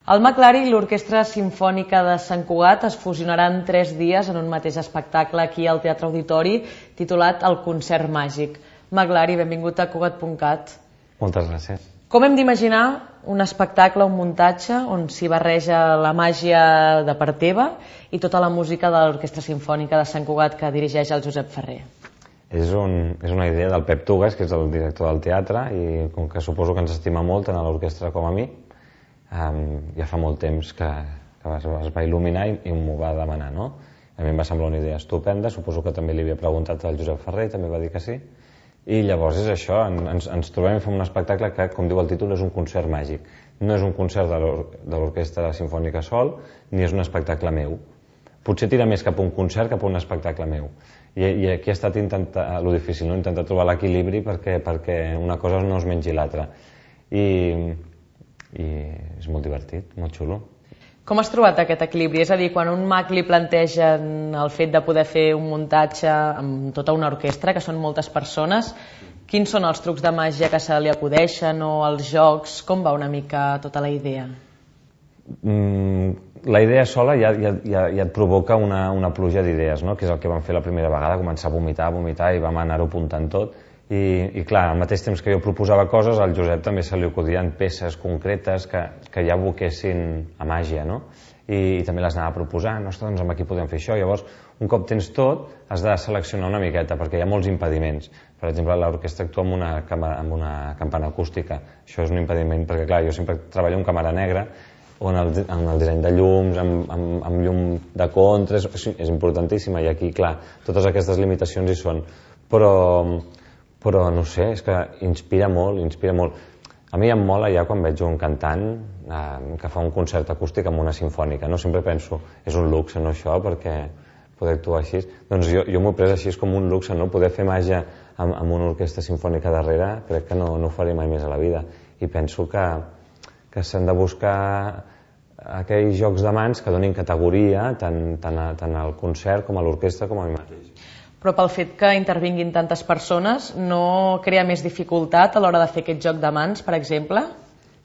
El McLari i l'Orquestra Simfònica de Sant Cugat es fusionaran 3 dies en un mateix espectacle aquí al Teatre Auditori titulat El Concert Màgic. McLari, benvingut a Cugat.cat. Moltes gràcies. Com hem d'imaginar un espectacle, un muntatge, on s'hi barreja la màgia de part teva i tota la música de l'Orquestra Simfònica de Sant Cugat que dirigeix el Josep Ferrer? És una idea del Pep Tugas, que és el director del teatre, i com que suposo que ens estima molt tant a l'orquestra com a mi, ja fa molt temps que es va il·luminar i m'ho va demanar, no? A mi em va semblar una idea estupenda, suposo que també li havia preguntat al Josep Ferrer, també va dir que sí, i llavors és això, ens trobem i fem un espectacle que, com diu el títol, és un concert màgic. No és un concert de l'Orquestra Simfònica sol, ni és un espectacle meu. Potser tira més cap a un concert, cap a un espectacle meu. I aquí ha estat lo difícil, no? Intentar trobar l'equilibri perquè una cosa no es mengi l'altra. I és molt divertit, molt xulo. Com has trobat aquest equilibri? És a dir, quan un mag li plantegen el fet de poder fer un muntatge amb tota una orquestra, que són moltes persones, quins són els trucs de màgia que se li acudeixen o els jocs? Com va una mica tota la idea? La idea sola ja et provoca una pluja d'idees, no? Que és el que vam fer la primera vegada, començar a vomitar i vam anar-ho apuntant tot. I clar, al mateix temps que jo proposava coses, al Josep també se li acudien peces concretes que ja aboquessin a màgia, no? I també les anava proposant, ostres, doncs aquí podem fer això. Llavors, un cop tens tot, has de seleccionar una miqueta, perquè hi ha molts impediments. Per exemple, l'orquestra actua amb una campana acústica. Això és un impediment, perquè clar, jo sempre treballo amb càmera negra, on el disseny de llums, amb llum de contra, és importantíssima, i aquí, clar, totes aquestes limitacions hi són. Però no sé, és que inspira molt, inspira molt. A mi em mola ja quan veig un cantant que fa un concert acústic amb una simfònica, no? Sempre penso, és un luxe, no, això, perquè poder actuar així. Doncs jo m'ho he pres així com un luxe, no? Poder fer màgia amb una orquestra simfònica darrere, crec que no ho faré mai més a la vida. I penso que s'han de buscar aquells jocs de mans que donin categoria tant al concert com a l'orquestra com a mi mateix. Però pel fet que intervinguin tantes persones no crea més dificultat a l'hora de fer aquest joc de mans, per exemple?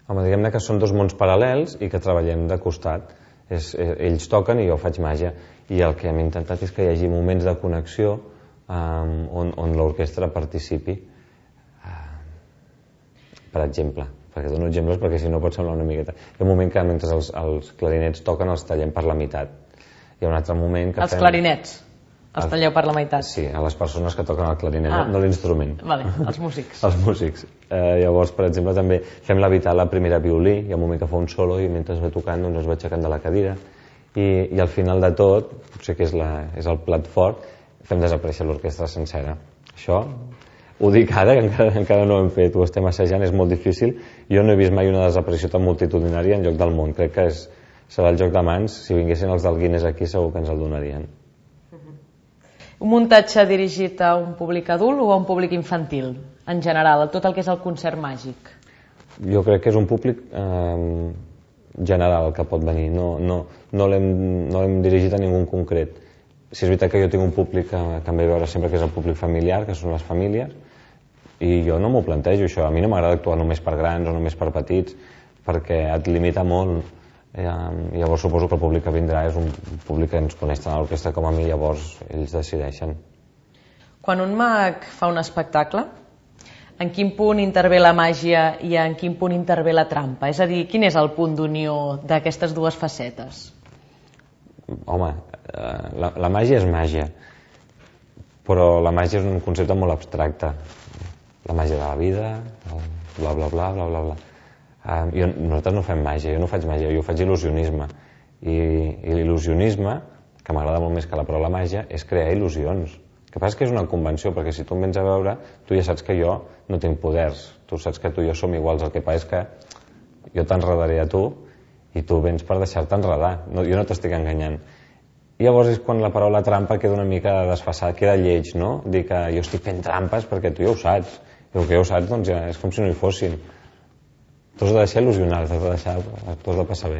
Home, diguem-ne que són dos mons paral·lels i que treballem de costat. Ells toquen i jo faig màgia. I el que hem intentat és que hi hagi moments de connexió on l'orquestra participi. Per exemple, perquè dono exemples perquè si no pot semblar una miqueta. Hi ha un moment que mentre els clarinets toquen els tallem per la meitat. Hi ha un altre moment que Els clarinets? Els talleu per la meitat? Sí, a les persones que toquen el clarinet, no l'instrument. Vale, els músics. Els músics. Llavors, per exemple, també fem levitar la primera violí, hi ha un moment que fa un solo i mentre es va tocant doncs es va aixecant de la cadira i al final de tot, potser que és el plat fort, fem desaparèixer l'orquestra sencera. Això ho dic ara, que encara no ho hem fet, ho estem assajant, és molt difícil. Jo no he vist mai una desaparició tan multitudinària en lloc del món. Crec que serà el joc de mans. Si vinguessin els del Guinness aquí segur que ens el donarien. Un muntatge dirigit a un públic adult o a un públic infantil, en general, a tot el que és el concert màgic? Jo crec que és un públic general que pot venir, no l'hem dirigit a ningú en concret. Si és veritat que jo tinc un públic que em ve a veure sempre, que és el públic familiar, que són les famílies, i jo no m'ho plantejo això. A mi no m'agrada actuar només per grans o només per petits, perquè et limita molt. Llavors suposo que el públic que vindrà és un públic que ens coneix tant a l'orquestra com a mi, llavors ells decideixen. Quan un mag fa un espectacle, en quin punt intervé la màgia i en quin punt intervé la trampa? És a dir, quin és el punt d'unió d'aquestes dues facetes? Home, la màgia és màgia, però la màgia és un concepte molt abstracte. La màgia de la vida, bla bla bla bla bla bla. Nosaltres no fem màgia, jo no faig màgia, jo faig il·lusionisme. I l'il·lusionisme, que m'agrada molt més que la paraula màgia, és crear il·lusions. El que passa és que és una convenció, perquè si tu em vens a veure, tu ja saps que jo no tinc poders, tu saps que tu i jo som iguals, el que passa és que jo t'enredaré a tu i tu vens per deixar-te enredar, jo no t'estic enganyant. I llavors és quan la paraula trampa queda una mica desfasada, queda lleig, no? Dir que jo estic fent trampes perquè tu ja ho saps, i el que ja ho saps doncs ja és com si no hi fossin. Tu has de deixar il·lusionar, tu has de passar bé.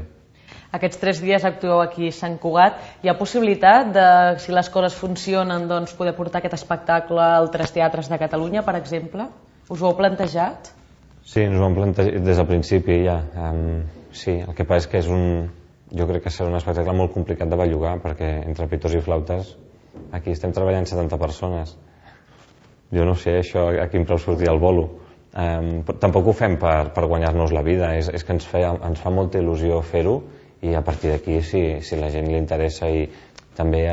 Aquests 3 dies actueu aquí a Sant Cugat. Hi ha possibilitat de, si les coses funcionen, doncs poder portar aquest espectacle a altres teatres de Catalunya, per exemple? Us ho heu plantejat? Sí, ens ho hem plantejat des del principi ja. sí, el que passa és que jo crec que serà un espectacle molt complicat de bellugar, perquè entre pitors i flautes aquí estem treballant 70 persones. Jo no sé això a quin preu sortirà el bolo. Tampoc ho fem per guanyar-nos la vida, és que ens fa molta il·lusió fer-ho, i a partir d'aquí, si la gent li interessa, i també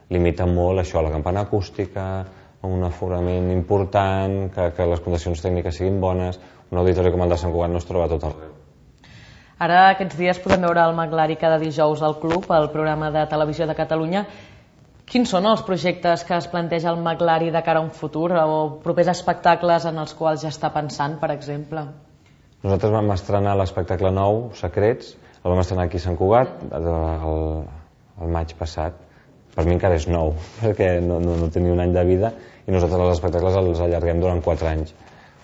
limita molt això, la campana acústica, un aforament important, que les condicions tècniques siguin bones, un auditori com el de Sant Cugat no es troba a tot arreu. Ara aquests dies podem veure el Maglari cada dijous al Club, al programa de televisió de Catalunya. Quins són els projectes que es planteja el Maglari de cara a un futur, o propers espectacles en els quals ja està pensant, per exemple? Nosaltres vam estrenar l'espectacle nou, Secrets, el vam estrenar aquí a Sant Cugat el maig passat. Per mi encara és nou, perquè no tenia un any de vida, i nosaltres els espectacles els allarguem durant 4 anys.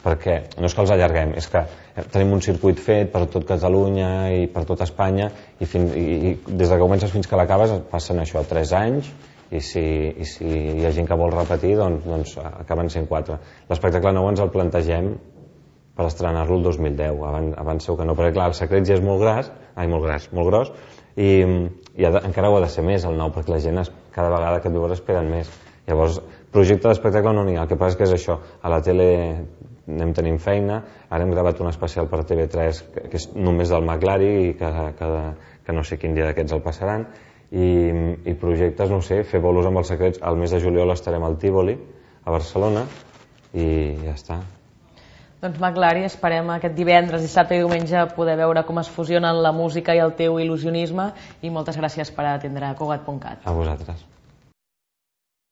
Perquè no és que els allarguem, és que tenim un circuit fet per tot Catalunya i per tot Espanya, i des que comences fins que l'acabes passen això, 3 anys, i si hi ha gent que vol repetir, doncs acaben sent 4. L'espectacle nou ens el plantegem per estrenar-lo el 2010, abans segur que no, perquè clar, el Secret ja és molt gros, i encara ho ha de ser més el nou, perquè la gent cada vegada que et veus esperen més. Llavors, projecte d'espectacle no n'hi ha, el que passa que és això, a la tele anem tenint feina, ara hem gravat un especial per TV3 que és només del Maglari, i que no sé quin dia d'aquests el passaran, i projectes, no sé, fer bolos amb els Secrets. Al mes de juliol estarem al Tívoli, a Barcelona, i ja està. Doncs Maglari, esperem aquest divendres, dissabte i diumenge poder veure com es fusionen la música i el teu il·lusionisme, i moltes gràcies per atendre Cugat.cat. A vosaltres.